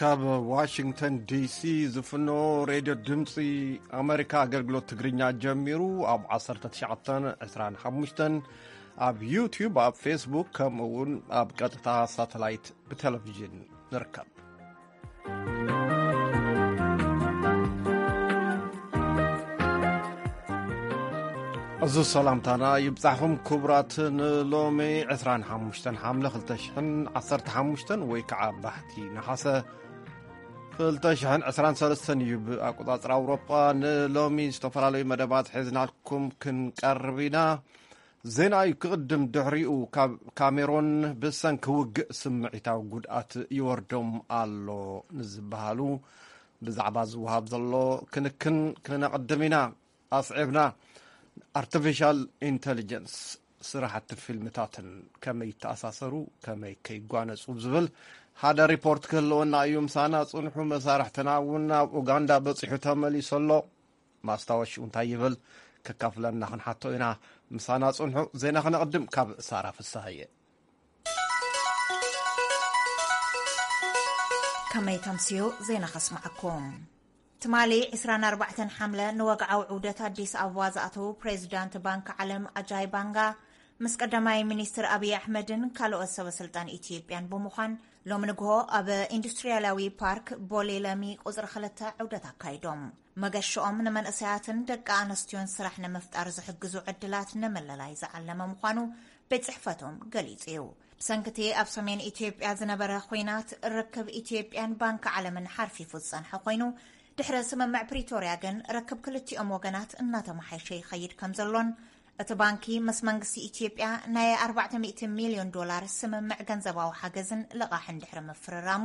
ካብ ዋሽንግተን ዲሲ ዝፍኖ ሬድዮ ድምፂ ኣሜሪካ ኣገልግሎት ትግርኛ ጀሚሩ ኣብ ዓሰርተ ትሽዓተ ዕስራን ሓሙሽተን ኣብ ዩቲዩብ፣ ኣብ ፌስቡክ፣ ከምኡ እውን ኣብ ቀጥታ ሳተላይት ብቴሌቪዥን ንርከብ። እዚ ሰላምታና ይብጻሕኹም ክቡራት። ንሎሚ ዕስራን ሓሙሽተን ሓምለ ክልተ ሽሕን ዓሰርተ ሓሙሽተን ወይ ከዓ ባሕቲ ነሓሰ ክልተ ሽሕን ዕስራን ሰለስተን እዩ ብኣቆጻጽራ ኣውሮጳ። ንሎሚ ዝተፈላለዩ መደባት ሒዝናልኩም ክንቀርብ ኢና። ዜና እዩ ክቕድም፣ ድሕሪኡ ካብ ካሜሮን ብሰንኪ ውግእ ስምዒታዊ ጉድኣት ይወርዶም ኣሎ ንዝበሃሉ ብዛዕባ ዝወሃብ ዘሎ ክንክን ክነቕድም ኢና። ኣስዒብና ኣርቲፊሻል ኢንተሊጀንስ ስራሕቲ ፊልምታትን ከመይ ይተኣሳሰሩ፣ ከመይ ከይጓነጹ ዝብል ሓደ ሪፖርት ክህልወና እዩ። ምሳና ጽንሑ። መሳርሕትና እውን ናብ ኡጋንዳ በጺሑ ተመሊሱ ኣሎ። ማስታወሽኡ እንታይ ይብል ከካፍለና ክንሓቶ ኢና። ምሳና ጽንሑ። ዜና ክነቕድም ካብ ሳራ ፍሳሃየ። ከመይ ተምስዩ ዜና ከስማዓኩም። ትማሊ ዕስራን ኣርባዕተን ሓምለ ንወግዓዊ ዑደት ኣዲስ ኣበባ ዝኣተዉ ፕሬዚዳንት ባንክ ዓለም ኣጃይ ባንጋ ምስ ቀዳማይ ሚኒስትር ኣብይ ኣሕመድን ካልኦት ሰበ ስልጣን ኢትዮጵያን ብምዃን ሎም ንግሆ ኣብ ኢንዱስትሪያላዊ ፓርክ ቦሌ ለሚ ቁፅሪ ክልተ ዑደት ኣካይዶም። መገሽኦም ንመንእሰያትን ደቂ ኣንስትዮን ስራሕ ንምፍጣር ዝሕግዙ ዕድላት ንምልላይ ዝዓለመ ምዃኑ ቤት ጽሕፈቶም ገሊጹ እዩ። ብሰንክቲ ኣብ ሰሜን ኢትዮጵያ ዝነበረ ኹናት ርክብ ኢትዮጵያን ባንክ ዓለምን ሓርፊፉ ዝጸንሐ ኮይኑ፣ ድሕሪ ስምምዕ ፕሪቶርያ ግን ርክብ ክልቲኦም ወገናት እናተመሓየሸ ይኸይድ ከም ዘሎን እቲ ባንኪ ምስ መንግስቲ ኢትዮጵያ ናይ ኣርባዕተ ሚእቲ ሚልዮን ዶላር ስምምዕ ገንዘባዊ ሓገዝን ልቓሕን ድሕሪ ምፍርራሙ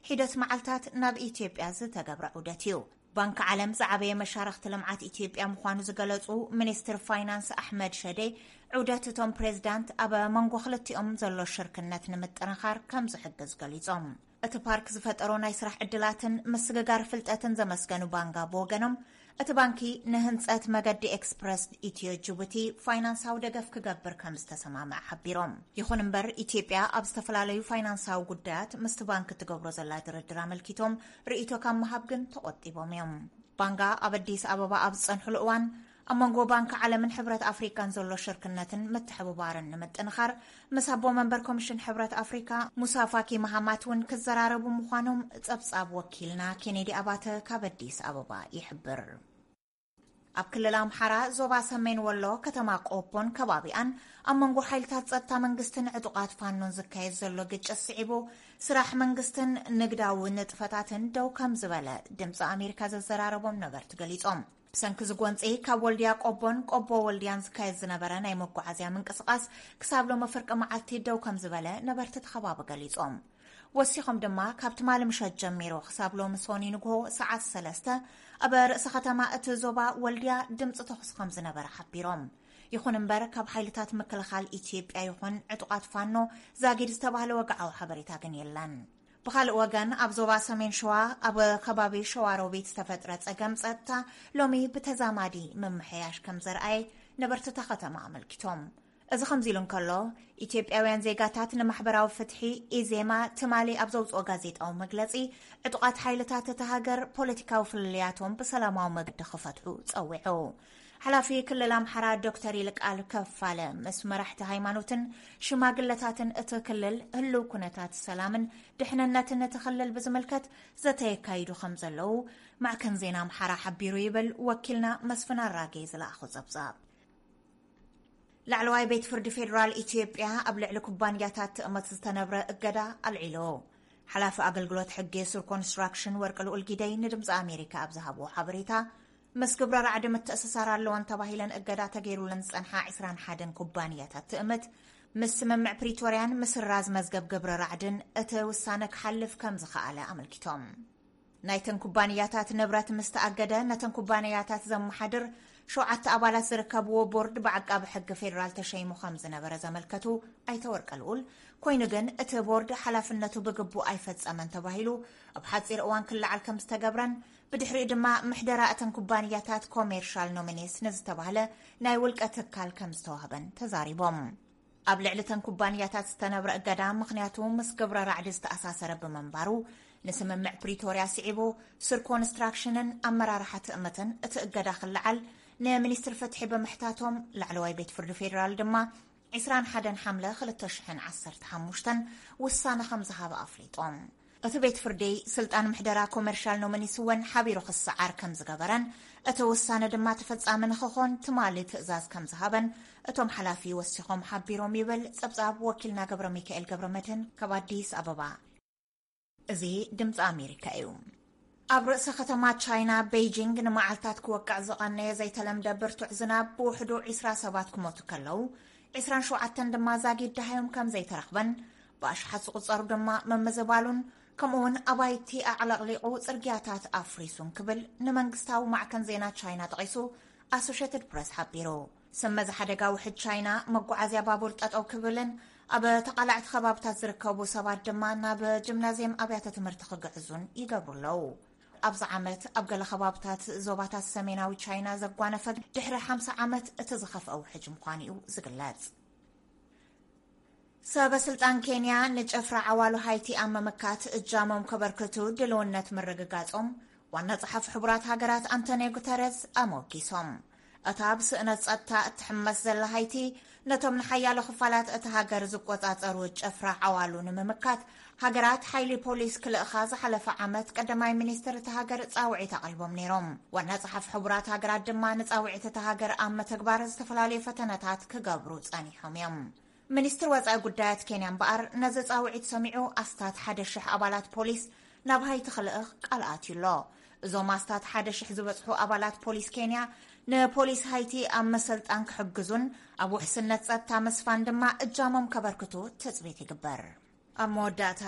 ሒደት መዓልታት ናብ ኢትዮጵያ ዝተገብረ ዑደት እዩ። ባንክ ዓለም ዝዓበየ መሻርኽቲ ልምዓት ኢትዮጵያ ምዃኑ ዝገለጹ ሚኒስትር ፋይናንስ ኣሕመድ ሸዴ፣ ዑደት እቶም ፕሬዝዳንት ኣብ መንጎ ክልቲኦም ዘሎ ሽርክነት ንምጥንኻር ከም ዝሕግዝ ገሊጾም። እቲ ፓርክ ዝፈጠሮ ናይ ስራሕ ዕድላትን ምስግጋር ፍልጠትን ዘመስገኑ ባንጋ ብወገኖም፣ እቲ ባንኪ ንህንጸት መገዲ ኤክስፕረስ ኢትዮ ጅቡቲ ፋይናንሳዊ ደገፍ ክገብር ከም ዝተሰማምዐ ሓቢሮም። ይኹን እምበር፣ ኢትዮጵያ ኣብ ዝተፈላለዩ ፋይናንሳዊ ጉዳያት ምስቲ ባንክ እትገብሮ ዘላ ድርድር ኣመልኪቶም ርእይቶ ካብ ምሃብ ግን ተቖጢቦም እዮም። ባንጋ ኣብ ኣዲስ ኣበባ ኣብ ዝጸንሕሉ እዋን፣ ኣብ መንጎ ባንክ ዓለምን ሕብረት ኣፍሪካን ዘሎ ሽርክነትን ምትሕብባርን ንምጥንኻር ምስ ኣቦ መንበር ኮሚሽን ሕብረት ኣፍሪካ ሙሳ ፋኪ መሃማት እውን ክዘራረቡ ምዃኖም ጸብጻብ ወኪልና ኬኔዲ ኣባተ ካብ ኣዲስ ኣበባ ይሕብር። ኣብ ክልል ኣምሓራ ዞባ ሰሜን ወሎ ከተማ ቆቦን ከባቢኣን ኣብ መንጎ ሓይልታት ጸጥታ መንግስትን ዕጡቓት ፋኖን ዝካየድ ዘሎ ግጭት ስዒቡ ስራሕ መንግስትን ንግዳዊ ንጥፈታትን ደው ከም ዝበለ ድምፂ ኣሜሪካ ዘዘራረቦም ነበርቲ ገሊጾም። ብሰንኪ ዝጎንፂ ካብ ወልድያ ቆቦን ቆቦ ወልድያን ዝካየድ ዝነበረ ናይ መጓዓዝያ ምንቅስቓስ ክሳብ ሎሚ ፍርቂ መዓልቲ ደው ከም ዝበለ ነበርቲ እቲ ከባቢ ገሊጾም። ወሲኾም ድማ ካብ ትማሊ ምሸት ጀሚሩ ክሳብ ሎሚ ሶኒ ንግሆ ሰዓት ሰለስተ ኣብ ርእሲ ከተማ እቲ ዞባ ወልድያ ድምፂ ተኹሲ ከም ዝነበረ ሓቢሮም። ይኹን እምበር ካብ ሓይልታት ምክልኻል ኢትዮጵያ ይኹን ዕጡቓት ፋኖ ዛጊድ ዝተባህለ ወግዓዊ ሓበሬታ ግን የለን። ብኻልእ ወገን ኣብ ዞባ ሰሜን ሸዋ ኣብ ከባቢ ሸዋሮቢት ዝተፈጥረ ጸገም ጸጥታ ሎሚ ብተዛማዲ ምምሕያሽ ከም ዘርኣየ ነበርቲ እታ ከተማ ኣመልኪቶም። እዚ ከምዚ ኢሉ እንከሎ፣ ኢትዮጵያውያን ዜጋታት ንማሕበራዊ ፍትሒ ኢዜማ ትማሊ ኣብ ዘውፅኦ ጋዜጣዊ መግለፂ ዕጡቓት ሓይልታት እታ ሃገር ፖለቲካዊ ፍልልያቶም ብሰላማዊ መገዲ ክፈትሑ ጸዊዑ። ሓላፊ ክልል ኣምሓራ ዶክተር ይልቃል ከፋለ ምስ መራሕቲ ሃይማኖትን ሽማግለታትን እቲ ክልል ህልው ኩነታት ሰላምን ድሕንነትን እቲ ክልል ብዝምልከት ዘተ የካይዱ ከም ዘለዉ ማዕከን ዜና ኣምሓራ ሓቢሩ ይብል ወኪልና መስፍን ኣራጌ ዝለኣኾ ጸብጻብ። ላዕለዋይ ቤት ፍርዲ ፌዴራል ኢትዮጵያ ኣብ ልዕሊ ኩባንያታት ትእምት ዝተነብረ እገዳ ኣልዒሉ። ሓላፊ ኣገልግሎት ሕጊ ሱር ኮንስትራክሽን ወርቂ ልኡል ጊደይ ንድምፂ ኣሜሪካ ኣብ ዝሃብዎ ሓበሬታ፣ ምስ ግብረ ራዕዲ ምትእስሳር ኣለወን ተባሂለን እገዳ ተገይሩለን ዝፀንሓ ዕስራን ሓደን ኩባንያታት ትእምት ምስ ስምምዕ ፕሪቶርያን ምስራዝ መዝገብ ግብረ ራዕድን እቲ ውሳነ ክሓልፍ ከም ዝኸኣለ ኣመልኪቶም። ናይተን ኩባንያታት ንብረት ምስ ተኣገደ፣ ነተን ኩባንያታት ዘመሓድር ሸውዓተ ኣባላት ዝርከብዎ ቦርድ ብዓቃቢ ሕጊ ፌዴራል ተሸይሙ ከም ዝነበረ ዘመልከቱ ኣይተ ወርቀ ልኡል፣ ኮይኑ ግን እቲ ቦርድ ሓላፍነቱ ብግቡእ ኣይፈጸመን ተባሂሉ ኣብ ሓጺር እዋን ክለዓል ከም ዝተገብረን ብድሕሪኡ ድማ ምሕደራ እተን ኩባንያታት ኮሜርሻል ኖሚኒስ ንዝተባህለ ናይ ውልቀ ትካል ከም ዝተዋህበን ተዛሪቦም። ኣብ ልዕሊ እተን ኩባንያታት ዝተነብረ እገዳ ምኽንያቱ ምስ ግብረ ራዕዲ ዝተኣሳሰረ ብምንባሩ ንስምምዕ ፕሪቶርያ ስዒቡ፣ ሱር ኮንስትራክሽንን ኣመራርሓ ትእምትን እቲ እገዳ ክለዓል ንሚኒስትር ፍትሒ ብምሕታቶም፣ ላዕለዋይ ቤት ፍርዲ ፌዴራል ድማ ዕስራን ሓደን ሓምለ ክልተ ሽሕን ዓሰርተ ሓሙሽተን ውሳነ ከም ዝሃበ ኣፍሊጦም። እቲ ቤት ፍርዲ፣ ስልጣን ምሕደራ ኮመርሻል ኖመኒስ እውን ሓቢሩ ክሰዓር ከም ዝገበረን፣ እቲ ውሳነ ድማ ተፈጻሚ ንክኾን ትማሊ ትእዛዝ ከም ዝሃበን እቶም ሓላፊ ወሲኾም ሓቢሮም ይብል ጸብጻብ ወኪልና ገብረ ሚካኤል ገብረ መድህን ካብ ኣዲስ ኣበባ። እዚ ድምፂ ኣሜሪካ እዩ። ኣብ ርእሰ ከተማ ቻይና ቤይጂንግ ንመዓልታት ክወቅዕ ዝቐነየ ዘይተለምደ ብርቱዕ ዝናብ ብውሕዱ ዕስራ ሰባት ክሞቱ ከለዉ፣ ዕስራን ሸውዓተን ድማ ዛጊድ ደሃዮም ከም ዘይተረኽበን፣ ብኣሽሓት ዝቑጸሩ ድማ መመዘባሉን፣ ከምኡ እውን ኣባይቲ ኣዕለቕሊቑ ጽርግያታት ኣፍሪሱን ክብል ንመንግስታዊ ማዕከን ዜና ቻይና ጠቒሱ ኣሶሼትድ ፕረስ ሓቢሩ። ስመዚ ሓደጋ ውሕድ ቻይና መጓዓዝያ ባቡር ጠጠው ክብልን ኣብ ተቓላዕቲ ከባብታት ዝርከቡ ሰባት ድማ ናብ ጂምናዝየም ኣብያተ ትምህርቲ ክግዕዙን ይገብሩ ኣለዉ። ኣብዚ ዓመት ኣብ ገለ ከባብታት ዞባታት ሰሜናዊ ቻይና ዘጓነፈ ድሕሪ ሓምሳ ዓመት እቲ ዝኸፍአ ውሕጅ ምዃኑ እዩ ዝግለጽ። ሰበ ስልጣን ኬንያ ንጨፍራ ዓዋሉ ሃይቲ ኣብ ምምካት እጃሞም ከበርክቱ ድልውነት ምርግጋጾም ዋና ጸሓፊ ሕቡራት ሃገራት ኣንቶኒዮ ጉተረዝ ኣሞጊሶም። እታ ብስእነት ጸጥታ እትሕመስ ዘላ ሃይቲ፣ ነቶም ንሓያሎ ክፋላት እታ ሃገር ዝቆጻጸሩ ጨፍራ ዓዋሉ ንምምካት፣ ሃገራት ሓይሊ ፖሊስ ክልእኻ ዝሓለፈ ዓመት ቀዳማይ ሚኒስትር እታ ሃገር ጻውዒት ኣቕሪቦም ነይሮም። ዋና ጸሓፊ ሕቡራት ሃገራት ድማ ንጻውዒት እታ ሃገር ኣብ ምትግባር ዝተፈላለዩ ፈተነታት ክገብሩ ጸኒሖም እዮም። ሚኒስትር ወጻኢ ጉዳያት ኬንያ እምበኣር ነዚ ጻውዒት ሰሚዑ ኣስታት ሓደ ሽሕ ኣባላት ፖሊስ ናብ ሃይቲ ክልእኽ ቃል ኣትዩ ኣሎ። እዞም ኣስታት ሓደ ሽሕ ዝበጽሑ ኣባላት ፖሊስ ኬንያ ንፖሊስ ሃይቲ ኣብ ምስልጣን ክሕግዙን ኣብ ውሕስነት ጸጥታ ምስፋን ድማ እጃሞም ከበርክቱ ትጽቢት ይግበር። ኣብ መወዳእታ፣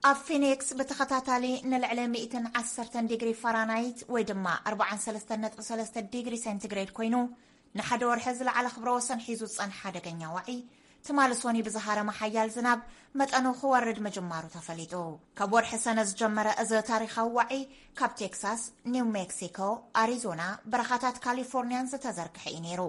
ኣብ ፊኒክስ ብተኸታታሊ ንልዕሊ ሚእትን ዓሰርተን ዲግሪ ፋራናይት ወይ ድማ ኣርባዓን ሰለስተን ነጥቢ ሰለስተ ዲግሪ ሴንቲግሬድ ኮይኑ ንሓደ ወርሒ ዝለዓለ ክብረ ወሰን ሒዙ ዝጸንሐ ሓደገኛ ዋዒ፣ ትማሊ ሶኒ ብዝሃረመ ሓያል ዝናብ መጠኑ ክወርድ ምጅማሩ ተፈሊጡ። ካብ ወርሒ ሰነ ዝጀመረ እዚ ታሪኻዊ ዋዒ፣ ካብ ቴክሳስ፣ ኒው ሜክሲኮ፣ ኣሪዞና፣ በረኻታት ካሊፎርኒያን ዝተዘርግሐ እዩ ነይሩ።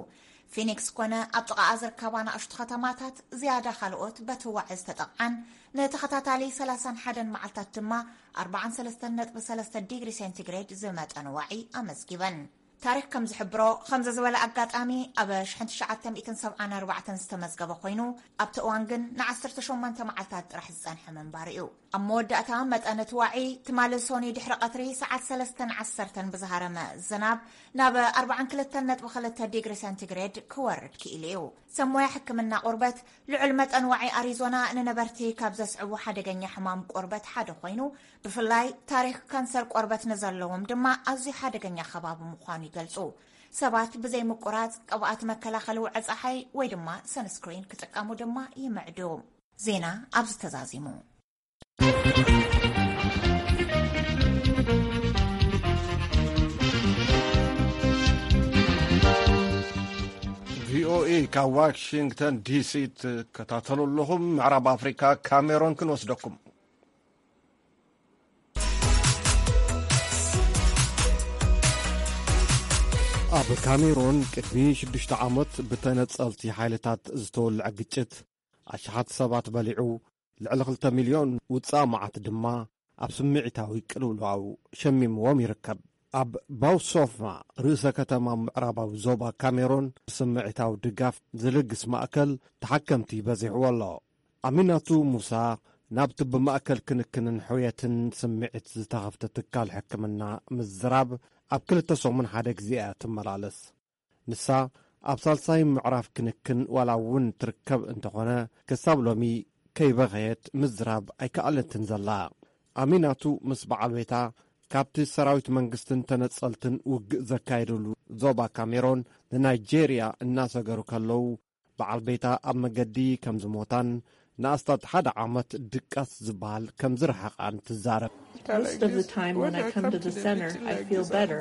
ፊኒክስ ኮነ ኣብ ጥቓኣ ዝርከባ ንኣሽቱ ከተማታት ዝያዳ ካልኦት በቲ ዋዒ ዝተጠቕዓን ንተኸታታሊ ሰላሳን ሓደን መዓልታት ድማ ኣርባዓን ሰለስተን ነጥቢ ሰለስተ ዲግሪ ሴንቲግሬድ ዝመጠኑ ዋዒ ኣመዝጊበን። ታሪኽ ከም ዝሕብሮ፣ ከምዚ ዝበለ ኣጋጣሚ ኣብ ሽሕን ትሽዓተ ሚእትን ሰብዓን ኣርባዕተን ዝተመዝገበ ኮይኑ፣ ኣብቲ እዋን ግን ንዓሰርተ ሸሞንተ መዓልታት ጥራሕ ዝጸንሐ ምንባሩ እዩ። ኣብ መወዳእታ፣ መጠን እቲ ዋዒ ትማሊ ሶኒ ድሕሪ ቀትሪ ሰዓት ሰለስተን ዓሰርተን ብዝሃረመ ዝናብ ናብ ኣርባዓን ክልተን ነጥቢ ክልተ ዲግሪ ሴንቲግሬድ ክወርድ ክኢሉ እዩ። ሰብ ሞያ ሕክምና ቆርበት፣ ልዑል መጠን ዋዒ ኣሪዞና ንነበርቲ ካብ ዘስዕቡ ሓደገኛ ሕማም ቆርበት ሓደ ኮይኑ፣ ብፍላይ ታሪኽ ካንሰር ቆርበት ንዘለዎም ድማ ኣዝዩ ሓደገኛ ከባቢ ምዃኑ ይገልጹ። ሰባት ብዘይ ምቁራጽ ቅብኣት መከላኸሊ ውዐ ጸሓይ ወይ ድማ ሰንስክሪን ክጥቀሙ ድማ ይምዕዱ። ዜና ኣብዚ ተዛዚሙ። ቪኦኤ ካብ ዋሽንግተን ዲሲ ትከታተሉ ኣለኹም። ምዕራብ ኣፍሪካ ካሜሮን ክንወስደኩም። ኣብ ካሜሮን ቅድሚ ሽዱሽተ ዓመት ብተነጸልቲ ሓይልታት ዝተወልዐ ግጭት ኣሽሓት ሰባት በሊዑ፣ ልዕሊ ክልተ ሚልዮን ውጻእ መዓት ድማ ኣብ ስምዒታዊ ቅልውላው ሸሚምዎም ይርከብ። ኣብ ባውሶፍማ፣ ርእሰ ከተማ ምዕራባዊ ዞባ ካሜሮን፣ ስምዒታዊ ድጋፍ ዝልግስ ማእከል ተሓከምቲ በዚሕዎ ኣሎ። ኣሚናቱ ሙሳ ናብቲ ብማእከል ክንክንን ሕውየትን ስምዒት ዝተኸፍተ ትካል ሕክምና ምዝራብ ኣብ ክልተ ሰሙን ሓደ ግዜ እያ ትመላለስ። ንሳ ኣብ ሳልሳይ ምዕራፍ ክንክን ዋላ እውን ትርከብ እንተኾነ፣ ክሳብ ሎሚ ከይበኸየት ምዝራብ ኣይከኣለትን ዘላ። ኣሚናቱ ምስ በዓል ቤታ ካብቲ ሰራዊት መንግስትን ተነጸልትን ውግእ ዘካየድሉ ዞባ ካሜሮን ንናይጄርያ እናሰገሩ ከለዉ፣ በዓል ቤታ ኣብ መገዲ ከም ዝሞታን ንኣስታት ሓደ ዓመት ድቃስ ዝበሃል ከም ዝረሓቓን ትዛረብ። Most of the time when I come to the center, I feel better.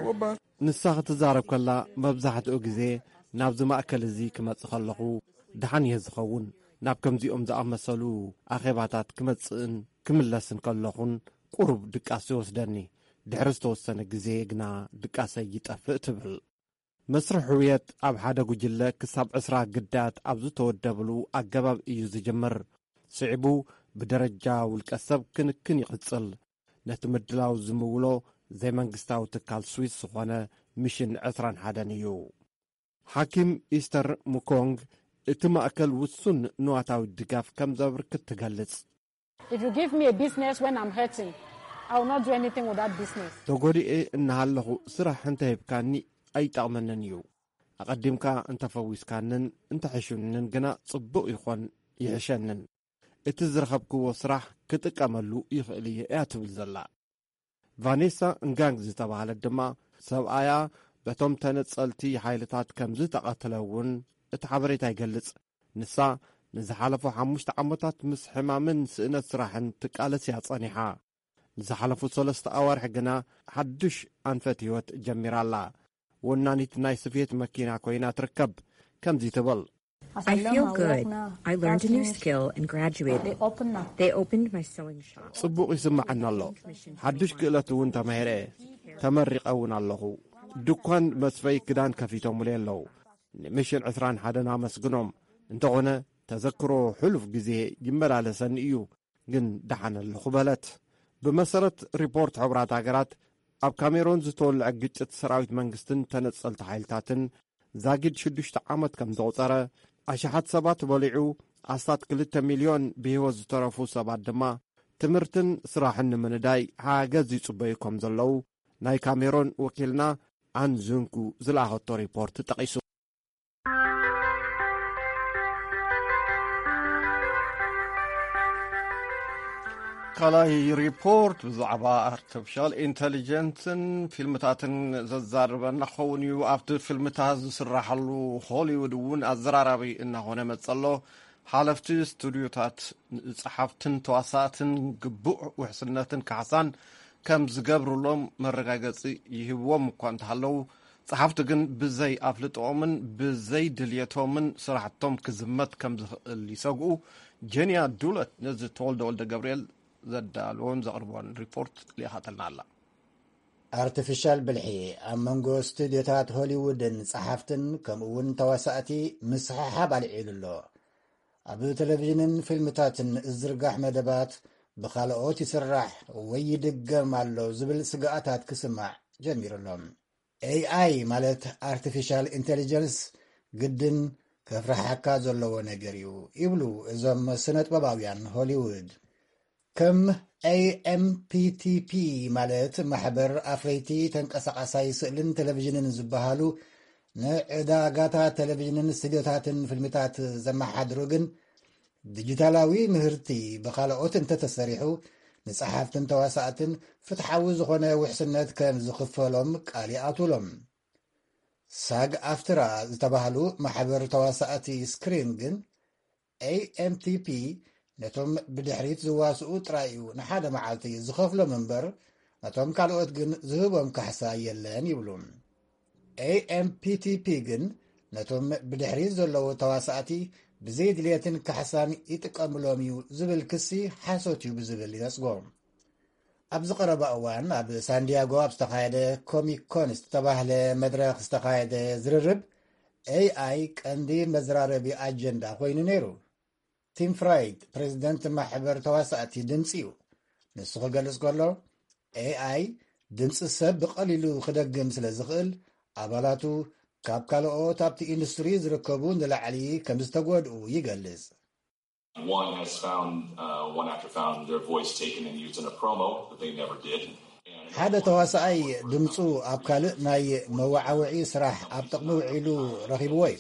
ንሳ ክትዛረብ ከላ፣ መብዛሕትኡ ግዜ ናብዚ ማእከል እዚ ክመጽእ ከለኹ ደሓን እየ ዝኸውን። ናብ ከምዚኦም ዝኣመሰሉ ኣኼባታት ክመጽእን ክምለስን ከለኹን ቁሩብ ድቃስ ይወስደኒ። ድሕሪ ዝተወሰነ ግዜ ግና ድቃሰይ ይጠፍእ ትብል። መስርሕ ሕውየት ኣብ ሓደ ጉጅለ ክሳብ ዕስራ ግዳያት ኣብ ዝተወደብሉ ኣገባብ እዩ ዝጅምር። ስዒቡ ብደረጃ ውልቀ ሰብ ክንክን ይቕጽል። ነቲ ምድላው ዝምውሎ ዘይመንግስታዊ ትካል ስዊስ ዝኾነ ሚሽን ዕስራን ሓደን እዩ። ሓኪም ኢስተር ሙኮንግ እቲ ማእከል ውሱን ንዋታዊ ድጋፍ ከም ዘብርክት ትገልጽ። If you give me a business when I'm hurting, I will not do anything with that business. ተጎዲኤ እናሃለኹ ስራሕ እንተሂብካኒ ኣይጠቕመንን እዩ። ኣቐዲምካ እንተፈዊስካንን እንተሕሹንን ግና ጽቡቕ ይኾን ይሕሸንን። እቲ ዝረኸብክዎ ስራሕ ክጥቀመሉ ይኽእል እየ እያ ትብል ዘላ። ቫኔሳ እንጋንግ ዝተባህለት ድማ ሰብኣያ በቶም ተነጸልቲ ሓይልታት ከም ዝተቐትለ እውን እቲ ሓበሬታ ይገልጽ። ንሳ ንዝሓለፉ ሓሙሽተ ዓመታት ምስ ሕማምን ስእነት ስራሕን ትቃለስ እያ ጸኒሓ። ንዝሓለፉ ሰለስተ ኣዋርሕ ግና ሓድሽ ኣንፈት ህይወት ጀሚራ ኣላ። ወናኒት ናይ ስፌት መኪና ኮይና ትርከብ። ከምዚ ትብል። I feel good. I learned a new skill and graduated. They opened my sewing shop. ጽቡቕ ይስምዓኒ ኣሎ። ሓድሽ ክእለት እውን ተማሂረ። ተመሪቐ እውን ኣለኹ። ድኳን መስፈይ ክዳን ከፊቶምለይ ኣለዉ። ንሚሽን ዕስራን ሓደን ኣመስግኖም። እንተኾነ ተዘክሮ ሕሉፍ ግዜ ይመላለሰኒ እዩ፣ ግን ደሓን ኣለኹ በለት። ብመሰረት ሪፖርት ሕቡራት ሃገራት ኣብ ካሜሮን ዝተወልዐ ግጭት ሰራዊት መንግስትን ተነጸልቲ ሓይልታትን ዛጊድ ሽዱሽተ ዓመት ከም ዘቑጸረ፣ ኣሽሓት ሰባት በሊዑ ኣስታት ክልተ ሚልዮን ብህይወት ዝተረፉ ሰባት ድማ ትምህርትን ስራሕን ንምንዳይ ሓገዝ ይጽበዩ ከም ዘለዉ ናይ ካሜሮን ወኪልና ኣን ዙንኩ ዝለኣኸቶ ሪፖርት ጠቒሱ። ካልኣይ ሪፖርት ብዛዕባ ኣርቲፊሻል ኢንተሊጀንስን ፊልምታትን ዘዛርበና ክኸውን እዩ። ኣብቲ ፊልምታት ዝስራሓሉ ሆሊውድ እውን ኣዘራራቢ እናኾነ መጸሎ። ሓለፍቲ ስቱድዮታት ንጸሓፍትን ተዋሳእትን ግቡእ ውሕስነትን ካሕሳን ከም ዝገብሩሎም መረጋገጺ ይህብዎም እኳ እንተሃለዉ፣ ጸሓፍቲ ግን ብዘይ ኣፍልጥኦምን ብዘይ ድልየቶምን ስራሕቶም ክዝመት ከም ዝኽእል ይሰግኡ። ጀንያ ዱለት ነዚ ተወልደ ወልደ ገብርኤል ዘዳልዎን ዘቕርቦን ሪፖርት ልኢኻተልና ኣላ። ኣርቲፊሻል ብልሒ ኣብ መንጎ ስቱድዮታት ሆሊውድን ጸሓፍትን ከምኡ እውን ተዋሳእቲ ምስሕሓብ ኣልዒሉ ኣሎ። ኣብ ቴሌቪዥንን ፊልምታትን ዝዝርጋሕ መደባት ብኻልኦት ይስራሕ ወይ ይድገም ኣሎ ዝብል ስግኣታት ክስማዕ ጀሚሩ ኣሎ። ኤኣይ ማለት ኣርቲፊሻል ኢንቴሊጀንስ ግድን ከፍርሓካ ዘለዎ ነገር እዩ ይብሉ እዞም ስነጥበባውያን ሆሊውድ። ከም ኤኤምፒቲፒ ማለት ማሕበር ኣፍረይቲ ተንቀሳቓሳይ ስእልን ቴሌቪዥንን ዝበሃሉ ንዕዳጋታት ቴሌቪዥንን ስቱድዮታትን ፊልምታት ዘመሓድሩ ግን ዲጂታላዊ ምህርቲ ብኻልኦት እንተተሰሪሑ ንጸሓፍትን ተዋሳእትን ፍትሓዊ ዝኾነ ውሕስነት ከም ዝኽፈሎም ቃል ይኣትውሎም። ሳግ ኣፍትራ ዝተባህሉ ማሕበር ተዋሳእቲ ስክሪን ግን ኤኤምቲፒ ነቶም ብድሕሪት ዝዋስኡ ጥራይ እዩ ንሓደ መዓልቲ ዝኸፍሎም እምበር ነቶም ካልኦት ግን ዝህቦም ካሕሳ የለን ይብሉ። ኤኤምፒቲፒ ግን ነቶም ብድሕሪት ዘለዉ ተዋሳእቲ ብዘይድልየትን ካሕሳን ይጥቀምሎም እዩ ዝብል ክሲ ሓሶት እዩ ብዝብል ይነጽጎ። ኣብዚ ቀረባ እዋን ኣብ ሳንዲያጎ ኣብ ዝተኻየደ ኮሚክ ኮን ዝተባህለ መድረኽ ዝተኻየደ ዝርርብ ኤኣይ ቀንዲ መዘራረቢ ኣጀንዳ ኮይኑ ነይሩ። ቲም ፍራይድ ፕሬዚደንት ማሕበር ተዋሳእቲ ድምፂ እዩ። ንሱ ክገልጽ ከሎ ኤኣይ ድምፂ ሰብ ብቐሊሉ ክደግም ስለ ዝኽእል ኣባላቱ ካብ ካልኦት ኣብቲ ኢንዱስትሪ ዝርከቡ ንላዕሊ ከም ዝተጎድኡ ይገልጽ። One has found, uh, one actor found their voice taken and used in a promo that they never did. And ሓደ ተዋሳኣይ ድምፁ ኣብ ካልእ ናይ መወዓውዒ ስራሕ ኣብ ጥቕሚ ውዒሉ ረኺብዎ እዩ።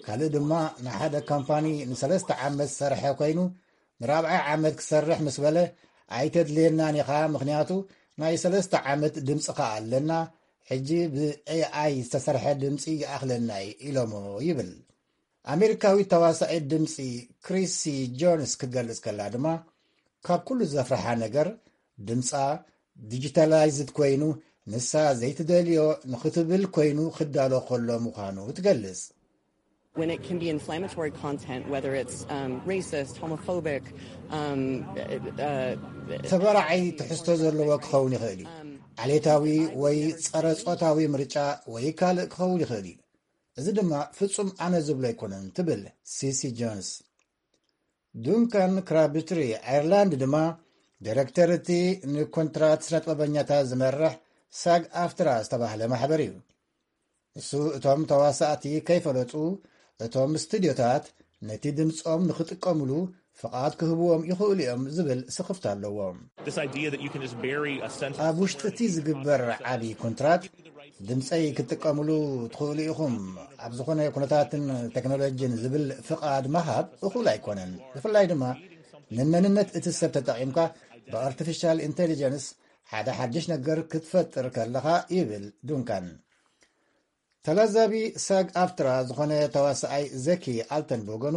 ካልእ ድማ ንሓደ ካምፓኒ ንሰለስተ ዓመት ዝሰርሐ ኮይኑ ንራብዓይ ዓመት ክሰርሕ ምስ በለ ኣይተድልየናን ኢኻ፣ ምኽንያቱ ናይ ሰለስተ ዓመት ድምፅኻ ኣለና፣ ሕጂ ብኤኣይ ዝተሰርሐ ድምፂ ይኣኽለና እዩ ኢሎሞ ይብል። ኣሜሪካዊት ተዋሳኢት ድምፂ ክሪሲ ጆንስ ክትገልጽ ከላ ድማ ካብ ኩሉ ዘፍርሓ ነገር ድምፃ ዲጂታላይዝድ ኮይኑ ንሳ ዘይትደልዮ ንኽትብል ኮይኑ ክዳሎ ከሎ ምዃኑ ትገልጽ። When it can be inflammatory content, whether it's um, racist, homophobic, um, uh, ተበራዓይ ትሕዝቶ ዘለዎ ክኸውን ይኽእል እዩ። ዓሌታዊ ወይ ጸረ ጾታዊ ምርጫ ወይ ካልእ ክኸውን ይኽእል እዩ። እዚ ድማ ፍጹም ኣነ ዝብሎ ኣይኮነን ትብል ሲሲ ጆንስ። ዱንካን ክራብትሪ ኣየርላንድ ድማ ዲረክተር እቲ ንኮንትራት ስነጥበበኛታት ዝመርሕ ሳግ ኣፍትራ ዝተባህለ ማሕበር እዩ። እሱ እቶም ተዋሳእቲ ከይፈለጡ እቶም ስቱድዮታት ነቲ ድምፆም ንኽጥቀምሉ ፍቓድ ክህብዎም ይኽእሉ እዮም ዝብል ስኽፍታ ኣለዎ። ኣብ ውሽጢ እቲ ዝግበር ዓቢ ኮንትራት ድምፀይ ክትጥቀምሉ ትኽእሉ ኢኹም ኣብ ዝኾነ ኩነታትን ቴክኖሎጂን ዝብል ፍቓድ ምሃብ እኹል ኣይኮነን። ብፍላይ ድማ ንመንነት እቲ ሰብ ተጠቒምካ ብኣርቲፊሻል ኢንቴሊጀንስ ሓደ ሓድሽ ነገር ክትፈጥር ከለኻ ይብል ዱንካን። ተላዛቢ ሳግ ኣፍትራ ዝኾነ ተዋሳኣይ ዘኪ ኣልተን ብወገኑ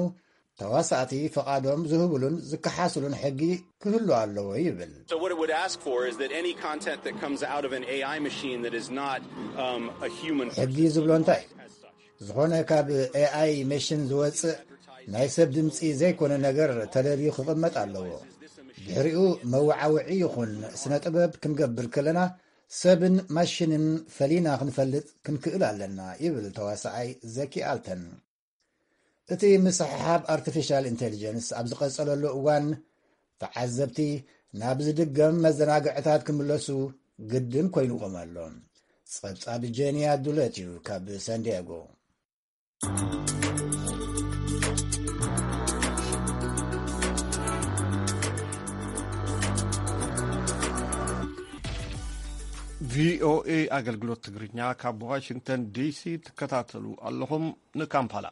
ተዋሳእቲ ፍቓዶም ዝህብሉን ዝከሓስሉን ሕጊ ክህሉ ኣለዎ ይብል። ሕጊ ዝብሎ እንታይ? ዝኾነ ካብ ኤኣይ መሽን ዝወፅእ ናይ ሰብ ድምፂ ዘይኮነ ነገር ተለልዩ ክቕመጥ ኣለዎ። ድሕሪኡ መወዓውዒ ይኹን ስነ ጥበብ ክንገብር ከለና ሰብን ማሽንን ፈሊና ክንፈልጥ ክንክእል ኣለና ይብል ተዋሳኣይ ዘኪ ኣልተን። እቲ ምስሕሓብ ኣርቲፊሻል ኢንቴሊጀንስ ኣብ ዝቐጸለሉ እዋን ተዓዘብቲ ናብ ዝድገም መዘናግዕታት ክምለሱ ግድን ኮይኑዎም ኣሎ። ጸብጻብ ጄኒያ ዱለት እዩ ካብ ሳንዲያጎ። ቪኦኤ ኣገልግሎት ትግርኛ ካብ ዋሽንግተን ዲሲ ትከታተሉ ኣለኹም። ንካምፓላ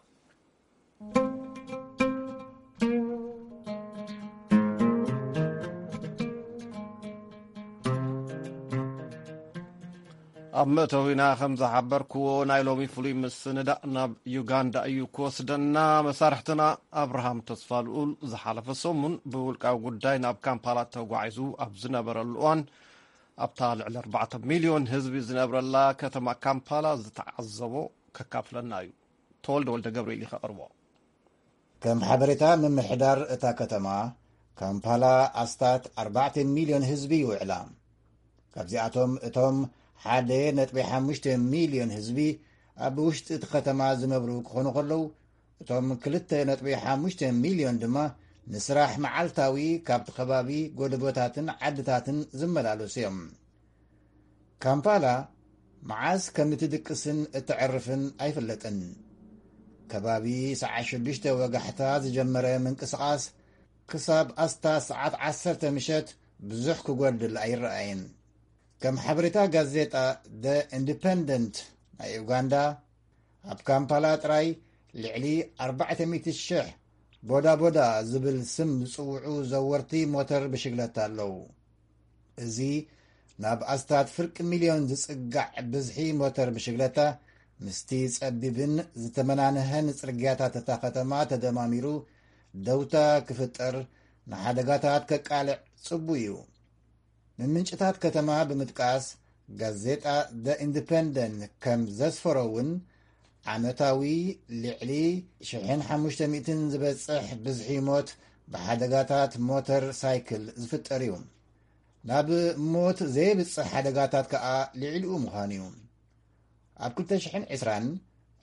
ኣብ መእተዊና ከም ዝሓበርክዎ ናይ ሎሚ ፍሉይ ምስንዳእ ናብ ዩጋንዳ እዩ ክወስደና። መሳርሕትና ኣብርሃም ተስፋልኡል ዝሓለፈ ሰሙን ብውልቃዊ ጉዳይ ናብ ካምፓላ ተጓዒዙ ኣብ ዝነበረሉ እዋን ኣብታ ልዕሊ ኣርባዕተ ሚልዮን ህዝቢ ዝነብረላ ከተማ ካምፓላ ዝተዓዘቦ ከካፍለና እዩ። ተወልደ ወልደ ገብርኤል እዩ ከቕርቦ። ከም ሓበሬታ ምምሕዳር እታ ከተማ፣ ካምፓላ ኣስታት ኣርባዕተ ሚልዮን ህዝቢ ይውዕላ። ካብዚኣቶም እቶም ሓደ ነጥቢ ሓሙሽተ ሚልዮን ህዝቢ ኣብ ውሽጢ እቲ ከተማ ዝነብሩ ክኾኑ ከለዉ፣ እቶም ክልተ ነጥቢ ሓሙሽተ ሚልዮን ድማ ንስራሕ መዓልታዊ ካብቲ ከባቢ ጎደቦታትን ዓድታትን ዝመላለሱ እዮም። ካምፓላ መዓስ ከም እትድቅስን እተዕርፍን ኣይፍለጥን። ከባቢ ሰዓት ሽዱሽተ ወጋሕታ ዝጀመረ ምንቅስቓስ ክሳብ ኣስታት ሰዓት ዓሰርተ ምሸት ብዙሕ ክጎድል ኣይረኣይን። ከም ሓበሬታ ጋዜጣ ደ ኢንዲፐንደንት ናይ ኡጋንዳ፣ ኣብ ካምፓላ ጥራይ ልዕሊ ኣርባዕተ ሚእቲ ሽሕ ቦዳ ቦዳ ዝብል ስም ዝጽውዑ ዘወርቲ ሞተር ብሽግለታ ኣለዉ። እዚ ናብ ኣስታት ፍርቂ ሚልዮን ዝጽጋዕ ብዝሒ ሞተር ብሽግለታ ምስቲ ጸቢብን ዝተመናንሐን ጽርግያታት እታ ከተማ ተደማሚሩ ደውታ ክፍጠር፣ ንሓደጋታት ከቃልዕ ጽቡይ እዩ። ንምንጭታት ከተማ ብምጥቃስ ጋዜጣ ደ ኢንዲፐንደንት ከም ዘስፈሮ እውን ዓመታዊ ልዕሊ ሽሕን ሓሙሽተ ሚእትን ዝበጽሕ ብዝሒ ሞት ብሓደጋታት ሞተር ሳይክል ዝፍጠር እዩ። ናብ ሞት ዘየብጽሕ ሓደጋታት ከኣ ልዕሊኡ ምዃኑ እዩ። ኣብ ክልተ ሽሕን ዕስራን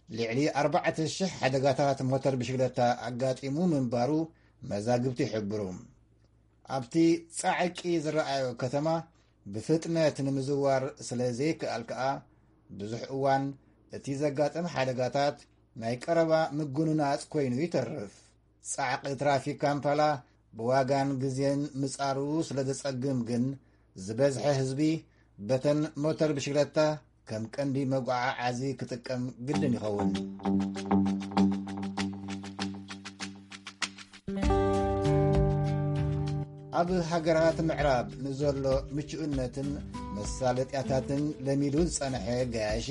ልዕሊ ኣርባዕተ ሽሕ ሓደጋታት ሞተር ብሽግለታ ኣጋጢሙ ምንባሩ መዛግብቲ ይሕብሩ። ኣብቲ ጻዕቂ ዝረኣዮ ከተማ ብፍጥነት ንምዝዋር ስለ ዘይከኣል ከኣ ብዙሕ እዋን እቲ ዘጋጥም ሓደጋታት ናይ ቀረባ ምጉንናጽ ኮይኑ ይተርፍ። ጻዕቂ ትራፊክ ካምፓላ ብዋጋን ግዜን ምጻሩ ስለ ዘጸግም ግን ዝበዝሐ ህዝቢ በተን ሞተር ብሽግለታ ከም ቀንዲ መጓዓዓዚ ክጥቀም ግድን ይኸውን። ኣብ ሃገራት ምዕራብ ንዘሎ ምቹእነትን መሳለጥያታትን ለሚዱ ዝጸንሐ ገያሺ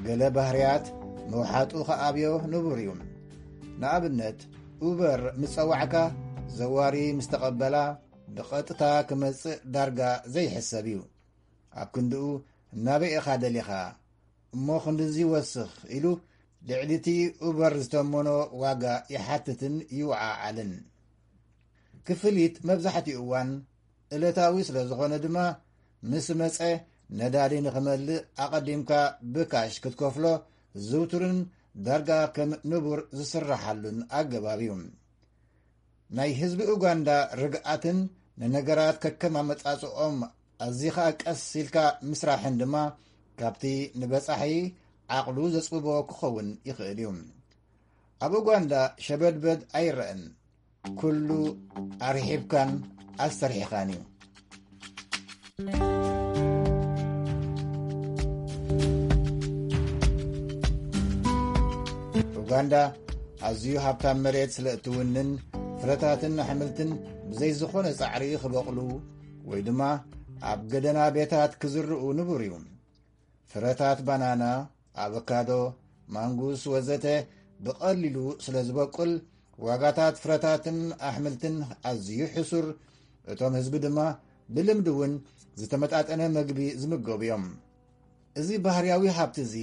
ገለ ባህርያት ምውሓጡ ከኣብዮ ንቡር እዩ። ንኣብነት ኡበር ምስ ጸዋዕካ ዘዋሪ ምስ ተቐበላ ብቐጥታ ክመጽእ ዳርጋ ዘይሕሰብ እዩ። ኣብ ክንድኡ ናበይ ኢኻ ደሊኻ እሞ ክንድዚ ወስኽ ኢሉ ልዕሊ እቲ ኡበር ዝተመኖ ዋጋ ይሓትትን ይወዓዓልን። ክፍሊት መብዛሕትኡ እዋን እለታዊ ስለ ዝኾነ ድማ ምስ መጸ ነዳዲ ንኽመልእ ኣቐዲምካ ብካሽ ክትከፍሎ ዝውቱርን ዳርጋ ከም ንቡር ዝስራሓሉን ኣገባብ እዩ። ናይ ህዝቢ ኡጋንዳ ርግኣትን ንነገራት ከከም ኣመጻጽኦም ኣዚኻ ቀስ ኢልካ ምስራሕን ድማ ካብቲ ንበጻሒ ዓቕሉ ዘጽብቦ ክኸውን ይኽእል እዩ። ኣብ ኡጋንዳ ሸበድበድ ኣይረአን። ኩሉ ኣርሒብካን ኣስተርሒኻን እዩ። ኡጋንዳ ኣዝዩ ሃብታም መሬት ስለ እትውንን፣ ፍረታትን ኣሕምልትን ብዘይ ዝኾነ ጻዕሪ ክበቕሉ ወይ ድማ ኣብ ገደና ቤታት ክዝርኡ ንቡር እዩ። ፍረታት ባናና፣ ኣቮካዶ፣ ማንጉስ ወዘተ ብቐሊሉ ስለ ዝበቁል፣ ዋጋታት ፍረታትን ኣሕምልትን ኣዝዩ ሕሱር፣ እቶም ህዝቢ ድማ ብልምዲ እውን ዝተመጣጠነ መግቢ ዝምገቡ እዮም። እዚ ባህርያዊ ሃብቲ እዚ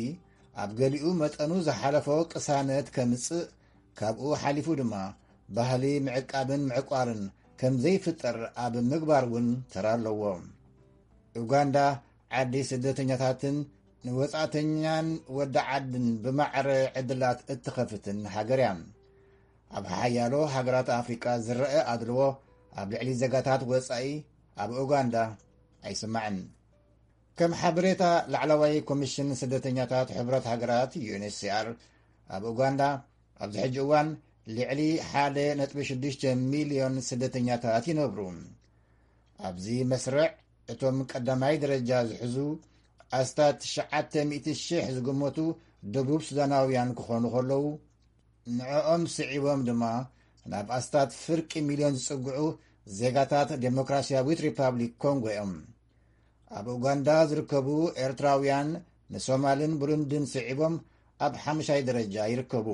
ኣብ ገሊኡ መጠኑ ዝሓለፎ ቅሳነት ከምጽእ፣ ካብኡ ሓሊፉ ድማ ባህሊ ምዕቃብን ምዕቋርን ከም ዘይፍጠር ኣብ ምግባር እውን ተራ ኣለዎ። ኡጋንዳ ዓዲ ስደተኛታትን ንወጻእተኛን ወዲ ዓድን ብማዕረ ዕድላት እትኸፍትን ሃገር እያ። ኣብ ሓያሎ ሃገራት ኣፍሪቃ ዝረአ ኣድልዎ ኣብ ልዕሊ ዜጋታት ወጻኢ ኣብ ኡጋንዳ ኣይስማዕን። ከም ሓበሬታ ላዕለዋይ ኮሚሽን ስደተኛታት ሕብረት ሃገራት፣ ዩ ኤን ኤች ሲ ኣር፣ ኣብ ኡጋንዳ ኣብዚ ሕጂ እዋን ልዕሊ ሓደ ነጥቢ ሽዱሽተ ሚልዮን ስደተኛታት ይነብሩ። ኣብዚ መስርዕ እቶም ቀዳማይ ደረጃ ዝሕዙ ኣስታት ትሽዓተ ሚእቲ ሽሕ ዝግመቱ ደቡብ ሱዳናውያን ክኾኑ ከለዉ፣ ንዕኦም ስዒቦም ድማ ናብ ኣስታት ፍርቂ ሚልዮን ዝጽግዑ ዜጋታት ዴሞክራሲያዊት ሪፓብሊክ ኮንጎ እዮም። ኣብ ኡጋንዳ ዝርከቡ ኤርትራውያን ንሶማልን ብሩንድን ስዒቦም ኣብ ሓሙሻይ ደረጃ ይርከቡ።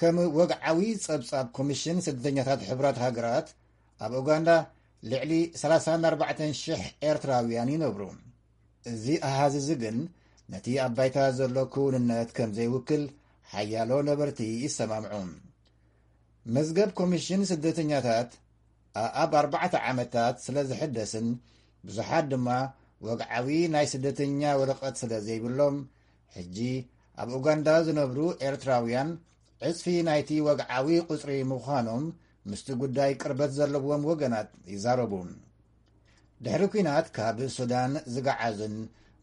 ከም ወግዓዊ ጸብጻብ ኮሚሽን ስደተኛታት ሕብራት ሃገራት፣ ኣብ ኡጋንዳ ልዕሊ ሰላሳን ኣርባዕተን ሽሕ ኤርትራውያን ይነብሩ። እዚ ኣሃዝ እዚ ግን ነቲ ኣብ ባይታ ዘሎ ክውንነት ከም ዘይውክል ሓያሎ ነበርቲ ይሰማምዑ። መዝገብ ኮሚሽን ስደተኛታት ኣኣብ ኣርባዕተ ዓመታት ስለ ዝሕደስን ብዙሓት ድማ ወግዓዊ ናይ ስደተኛ ወረቐት ስለ ዘይብሎም፣ ሕጂ ኣብ ኡጋንዳ ዝነብሩ ኤርትራውያን ዕጽፊ ናይቲ ወግዓዊ ቁጽሪ ምዃኖም ምስቲ ጉዳይ ቅርበት ዘለዎም ወገናት ይዛረቡ። ድሕሪ ኲናት ካብ ሱዳን ዝገዓዙን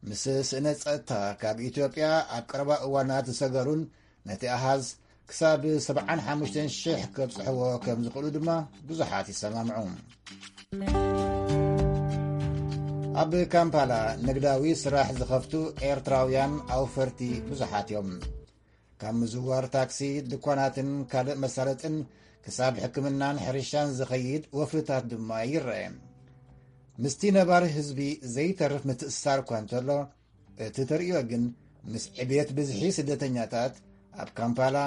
ምስ ስእነ ጸጥታ ካብ ኢትዮጵያ ኣብ ቀረባ እዋናት ዝሰገሩን ነቲ ኣሃዝ ክሳብ ሰብዓን ሓሙሽተን ሽሕ ከብጽሕዎ ከም ዝኽእሉ ድማ ብዙሓት ይሰማምዑ። ኣብ ካምፓላ ንግዳዊ ስራሕ ዝኸፍቱ ኤርትራውያን ኣውፈርቲ ብዙሓት እዮም። ካብ ምዝዋር ታክሲ፣ ድኳናትን ካልእ መሳለጥን ክሳብ ሕክምናን ሕርሻን ዝኸይድ ወፍርታት ድማ ይረአ። ምስቲ ነባሪ ህዝቢ ዘይተርፍ ምትእስሳር እኳ እንተሎ፣ እቲ ተርእዮ ግን ምስ ዕብየት ብዝሒ ስደተኛታት ኣብ ካምፓላ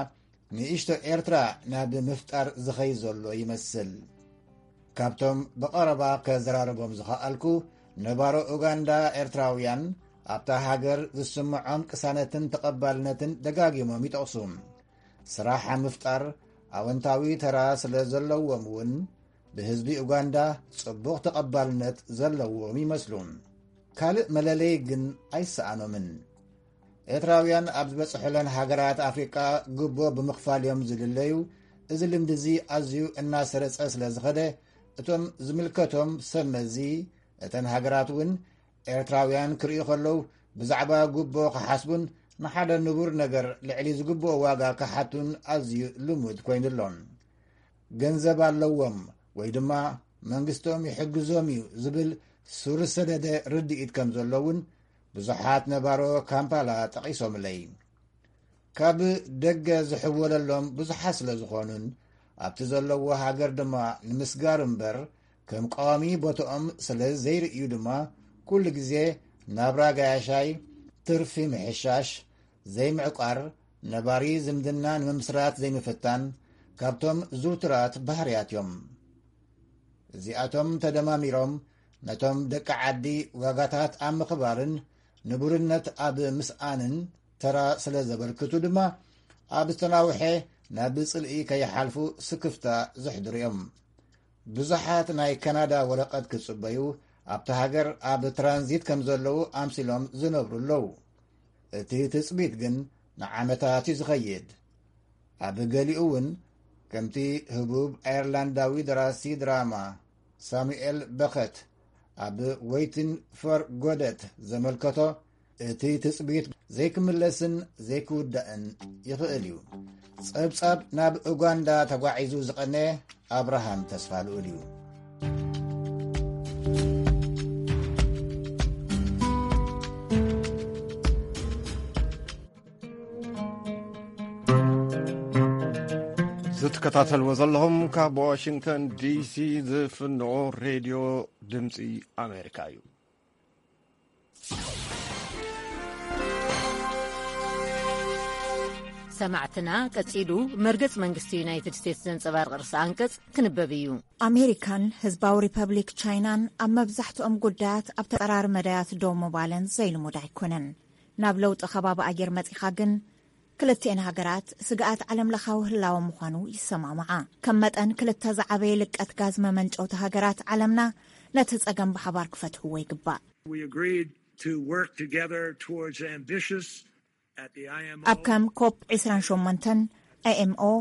ንእሽቶ ኤርትራ ናብ ምፍጣር ዝኸይ ዘሎ ይመስል። ካብቶም ብቐረባ ከዘራርቦም ዝኸኣልኩ ነባሮ ኡጋንዳ ኤርትራውያን፣ ኣብታ ሃገር ዝስምዖም ቅሳነትን ተቐባልነትን ደጋጊሞም ይጠቕሱ። ስራሕ ኣብ ምፍጣር ኣወንታዊ ተራ ስለ ዘለዎም እውን ብህዝቢ ኡጋንዳ ጽቡቕ ተቐባልነት ዘለዎም ይመስሉ። ካልእ መለለዪ ግን ኣይሰኣኖምን። ኤርትራውያን ኣብ ዝበጽሑለን ሃገራት ኣፍሪቃ ግቦ ብምኽፋል እዮም ዝልለዩ። እዚ ልምዲ እዚ ኣዝዩ እናሰረጸ ስለ ዝኸደ፣ እቶም ዝምልከቶም ሰብ መዚ እተን ሃገራት እውን ኤርትራውያን ክርእዩ ከለዉ ብዛዕባ ግቦ ክሓስቡን ንሓደ ንቡር ነገር ልዕሊ ዝግብኦ ዋጋ ክሓቱን ኣዝዩ ልሙድ ኮይኑ ኣሎ። ገንዘብ ኣለዎም ወይ ድማ መንግስቶም ይሕግዞም እዩ ዝብል ሱር ዝሰደደ ርድኢት ከም ዘሎ እውን ብዙሓት ነባሮ ካምፓላ ጠቒሶምለይ። ካብ ደገ ዝሕወለሎም ብዙሓት ስለ ዝኾኑን ኣብቲ ዘለዎ ሃገር ድማ ንምስጋር እምበር ከም ቀዋሚ ቦታኦም ስለ ዘይርእዩ ድማ ኩሉ ግዜ ናብራ ጋያሻይ፣ ትርፊ ምሕሻሽ፣ ዘይምዕቋር፣ ነባሪ ዝምድና ንምምስራት ዘይምፍታን ካብቶም ዝውቱራት ባህርያት እዮም። እዚኣቶም ተደማሚሮም ነቶም ደቂ ዓዲ ዋጋታት ኣብ ምኽባርን ንቡርነት ኣብ ምስኣንን ተራ ስለ ዘበርክቱ ድማ ኣብ ዝተናውሐ ናብ ጽልኢ ከይሓልፉ ስክፍታ ዘሕድሩ እዮም። ብዙሓት ናይ ካናዳ ወረቐት ክጽበዩ ኣብቲ ሃገር ኣብ ትራንዚት ከም ዘለዉ ኣምሲሎም ዝነብሩ ኣለዉ። እቲ ትጽቢት ግን ንዓመታት እዩ ዝኸይድ። ኣብ ገሊኡ እውን ከምቲ ህቡብ ኣየርላንዳዊ ደራሲ ድራማ ሳሙኤል በኸት ኣብ Waiting for Godot ዘመልከቶ፣ እቲ ትጽቢት ዘይክምለስን ዘይክውዳእን ይኽእል እዩ። ጸብጻብ ናብ ኡጋንዳ ተጓዒዙ ዝቐነየ ኣብርሃም ተስፋ ልኡል እዩ። ዝትከታተልዎ ዘለኹም ካብ ዋሽንግተን ዲሲ ዝፍንዎ ሬድዮ ድምፂ ኣሜሪካ እዩ። ሰማዕትና፣ ቀጺሉ መርገጽ መንግስቲ ዩናይትድ ስቴትስ ዘንጸባርቕ ርእሰ ኣንቀጽ ክንበብ እዩ። ኣሜሪካን ህዝባዊ ሪፐብሊክ ቻይናን ኣብ መብዛሕትኦም ጉዳያት ኣብ ተጻራሪ መዳያት ደው ምባለን ዘይልሙድ ኣይኮነን። ናብ ለውጢ ከባቢ ኣየር መጺኻ ግን፣ ክልቲኤን ሃገራት ስግኣት ዓለምለኻዊ ህላወ ምዃኑ ይሰማማዓ። ከም መጠን ክልተ ዝዓበየ ልቀት ጋዝ መመንጨውቲ ሃገራት ዓለምና ነቲ ጸገም ብሓባር ክፈትሕዎ ይግባእ። We agreed to work together towards ambitious at the I M O. ኣብ ከም ኮፕ ዒስራን ሸሞንተን፣ I M O፣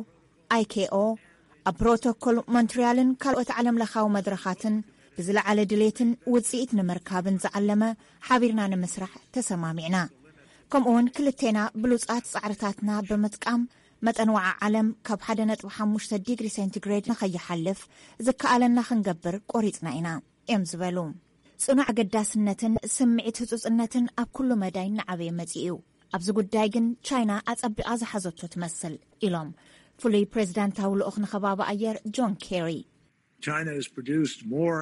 I K O፣ ኣብ ፕሮቶኮል ሞንትሪያልን ካልኦት ዓለምለኻዊ መድረኻትን ብዝለዓለ ድሌትን ውጽኢት ንምርካብን ዝዓለመ ሓቢርና ንምስራሕ ተሰማሚዕና። ከምኡውን ክልቴና ብሉጻት ጻዕርታትና ብምጥቃም መጠን ወዓ ዓለም ካብ ሓደ ነጥቢ ሓሙሽተ ዲግሪ ሴንቲግሬድ ንኸይሓልፍ ዝከኣለና ክንገብር ቆሪጽና ኢና እዮም ዝበሉ። ጽኑዕ ኣገዳስነትን ስምዒት ህጹጽነትን ኣብ ኩሉ መዳይ እናዓበየ መጺኡ እዩ። ኣብዚ ጉዳይ ግን ቻይና ኣጸቢቓ ዝሓዘቶ ትመስል ኢሎም ፍሉይ ፕሬዚዳንታዊ ልኡኽ ንኸባቢ ኣየር ጆን ኬሪ። China has produced more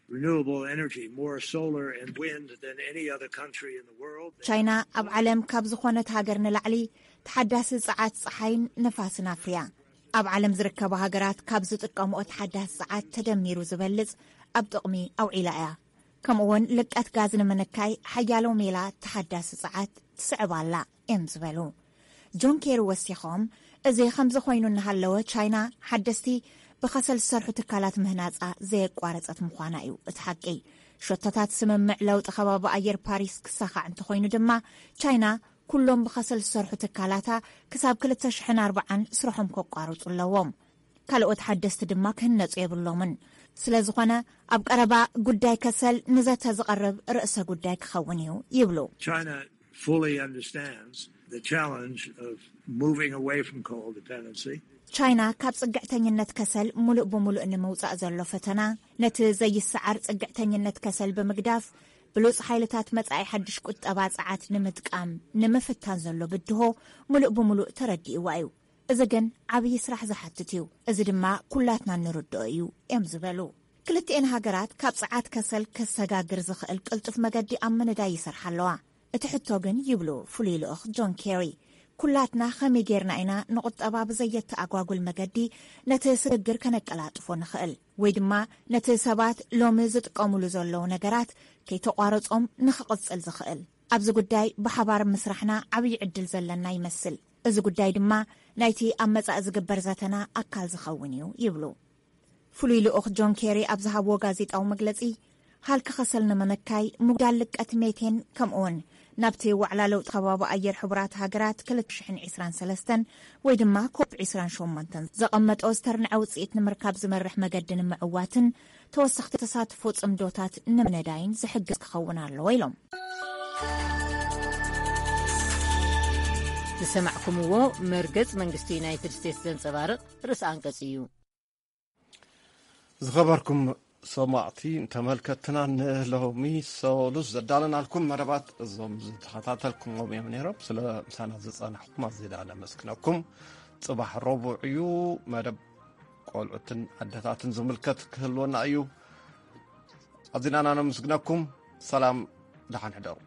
renewable energy, more solar and wind than any other country in the world. ቻይና ኣብ ዓለም ካብ ዝኾነት ሃገር ንላዕሊ ተሓዳሲ ጸዓት ጸሓይን ንፋስን ኣፍርያ። ኣብ ዓለም ዝርከባ ሃገራት ካብ ዝጥቀምኦ ተሓዳሲ ጸዓት ተደሚሩ ዝበልጽ ኣብ ጥቕሚ ኣውዒላ እያ። ከምኡውን ልቀት ጋዝ ንምንካይ ሓያሎ ሜላ ተሓዳሲ ጸዓት ትስዕብ ኣላ እዮም ዝበሉ ጆን ኬሪ ወሲኾም። እዚ ከምዚ ኮይኑ እናሃለወ፣ ቻይና ሓደስቲ ብኸሰል ዝሰርሑ ትካላት ምህናጻ ዘየቋረጸት ምዃና እዩ እቲ ሓቂ። ሸቶታት ስምምዕ ለውጢ ከባቢ ኣየር ፓሪስ ክሳኻዕ እንተኾይኑ ድማ፣ ቻይና ኩሎም ብኸሰል ዝሰርሑ ትካላታ ክሳብ ክልተ ሽሕን ኣርባዓን ስርሖም ከቋርጹ ኣለዎም። ካልኦት ሓደስቲ ድማ ክህነጹ የብሎምን። ስለ ዝኾነ፣ ኣብ ቀረባ ጉዳይ ከሰል ንዘተ ዝቐርብ ርእሰ ጉዳይ ክኸውን እዩ ይብሉ። China fully understands the challenge of moving away from coal dependency. ቻይና ካብ ጽግዕተኝነት ከሰል ሙሉእ ብሙሉእ ንምውጻእ ዘሎ ፈተና፣ ነቲ ዘይሰዓር ጽግዕተኝነት ከሰል ብምግዳፍ፣ ብሉጽ ሓይልታት መጻኢ ሓድሽ ቁጠባ ጸዓት ንምጥቃም ንምፍታን ዘሎ ብድሆ ሙሉእ ብሙሉእ ተረዲእዋ እዩ። እዚ ግን ዓብዪ ስራሕ ዝሓትት እዩ። እዚ ድማ ኩላትና እንርድኦ እዩ እዮም ዝበሉ። ክልቲኤን ሃገራት ካብ ጸዓት ከሰል ከሰጋግር ዝኽእል ቅልጡፍ መገዲ ኣብ ምንዳይ ይሰርሓ ኣለዋ። እቲ ሕቶ ግን፣ ይብሉ ፍሉይ ልኡኽ ጆን ኬሪ፣ ኩላትና ከመይ ጌርና ኢና ንቁጠባ ብዘየተኣጓጉል መገዲ ነቲ ስግግር ከነቀላጥፎ ንኽእል፣ ወይ ድማ ነቲ ሰባት ሎሚ ዝጥቀሙሉ ዘለዉ ነገራት ከይተቋረጾም ንኽቕጽል ዝኽእል? ኣብዚ ጉዳይ ብሓባር ምስራሕና ዓብዪ ዕድል ዘለና ይመስል። እዚ ጉዳይ ድማ ናይቲ ኣብ መጻኢ ዝግበር ዘተና ኣካል ዝኸውን እዩ ይብሉ። ፍሉይ ልኡኽ ጆን ኬሪ ኣብ ዝሃብዎ ጋዜጣዊ መግለጺ፣ ሃልኪ ከሰል ንምንካይ፣ ምጉዳል ልቀት ሜቴን፣ ከምኡውን ናብቲ ዋዕላ ለውጢ ከባቢ ኣየር ሕቡራት ሃገራት ክልተ ሽሕን ዕስራን ሰለስተን ወይ ድማ ኮፕ ዕስራን ሸሞንተን ዘቐመጦ ዝተርንዐ ውጽኢት ንምርካብ ዝመርሕ መገዲ ንምዕዋትን ተወሰኽቲ ተሳትፎ ጽምዶታት ንምንዳይን ዝሕግዝ ክኸውን ኣለዎ ኢሎም። ዝሰማዕኩምዎ መርገጽ መንግስቲ ዩናይትድ ስቴትስ ዘንጸባርቕ ርእሰ ኣንቀጽ እዩ። ዝኸበርኩም ሰማዕቲ ተመልከትና፣ ንሎሚ ሰሉስ ዘዳለናልኩም መደባት እዞም ዝተኸታተልኩምዎም እዮም ነይሮም። ስለ ምሳና ዝጸናሕኩም ኣዚና ነመስግነኩም። ጽባሕ ረቡዕ እዩ፣ መደብ ቆልዑትን ኣደታትን ዝምልከት ክህልወና እዩ። ኣዚና ነመስግነኩም። ሰላም፣ ደሓን ሕደሩ።